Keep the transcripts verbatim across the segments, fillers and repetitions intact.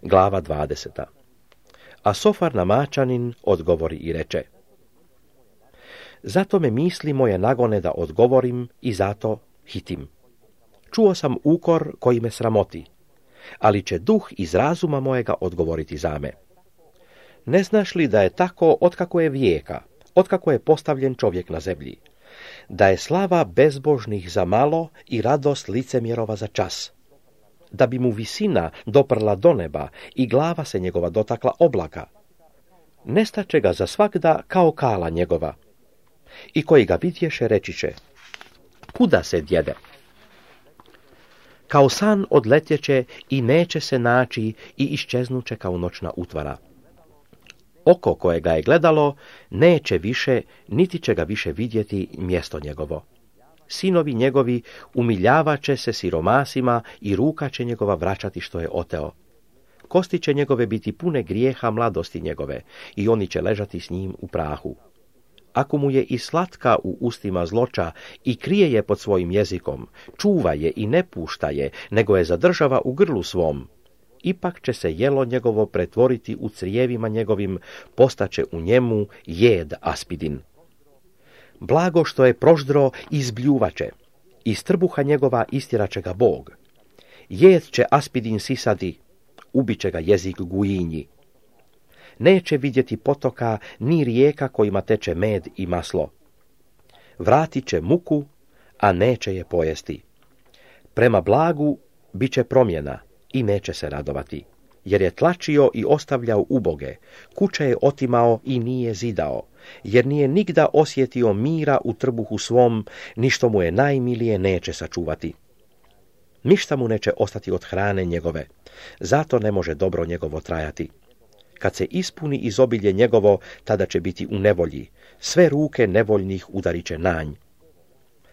Glava dvadeseta. A Sofar Namačanin odgovori i reče: Zato me misli moje nagone da odgovorim i zato hitim. Čuo sam ukor koji me sramoti, ali će duh iz razuma mojega odgovoriti za me. Ne znaš li da je tako otkako je vijeka, otkako je postavljen čovjek na zemlji, da je slava bezbožnih za malo i radost licemjerova za čas, da bi mu visina doprla do neba i glava se njegova dotakla oblaka, nestaće ga za svagda kao kala njegova, i koji ga vidješe reći će: Kuda se djede? Kao san odletjeće i neće se naći i iščeznuće kao noćna utvara. Oko koje ga je gledalo neće više, niti će ga više vidjeti mjesto njegovo. Sinovi njegovi umiljavaće se siromasima i ruka će njegova vraćati što je oteo. Kosti će njegove biti pune grijeha mladosti njegove i oni će ležati s njim u prahu. Ako mu je i slatka u ustima zloća i krije je pod svojim jezikom, čuva je i ne pušta je, nego je zadržava u grlu svom, ipak će se jelo njegovo pretvoriti u crijevima njegovim, postaće u njemu jed aspidin. Blago što je proždro izbljuvaće, iz trbuha njegova istjeraće ga Bog. Jed će aspidin sisadi, ubiće ga jezik gujinji. Neće vidjeti potoka ni rijeka kojima teče med i maslo. Vratit će muku, a neće je pojesti. Prema blagu bit će promjena i neće se radovati, jer je tlačio i ostavljao uboge, kuće je otimao i nije zidao, jer nije nigda osjetio mira u trbuhu svom, ni što mu je najmilije neće sačuvati. Ništa mu neće ostati od hrane njegove, zato ne može dobro njegovo trajati. Kad se ispuni izobilje njegovo, tada će biti u nevolji, sve ruke nevoljnih udarit će nanj.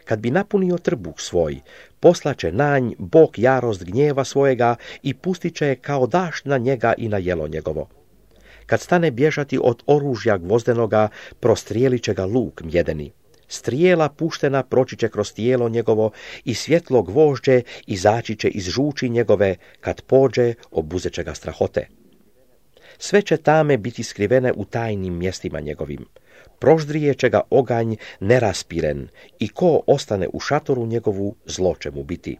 Kad bi napunio trbuh svoj, poslaće nanj Bog jarost gnjeva svojega i pustit će je kao dašt na njega i na jelo njegovo. Kad stane bježati od oružja gvozdenoga, prostrijelit će ga luk mjedeni. Strijela puštena proći će kroz tijelo njegovo i svjetlo gvožđe izaći će iz žuči njegove, kad pođe obuzet će ga strahote. Sve će tame biti skrivene u tajnim mjestima njegovim. Proždrije će ga oganj neraspiren i ko ostane u šatoru njegovu, zlo će mu biti.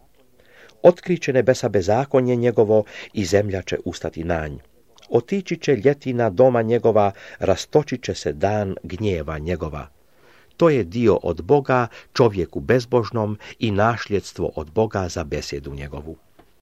Otkriće nebesa bezakonje njegovo i zemlja će ustati nanj. Otići će ljetina doma njegova, rastočit će se dan gnjeva njegova. To je dio od Boga čovjeku bezbožnom i našljedstvo od Boga za besjedu njegovu.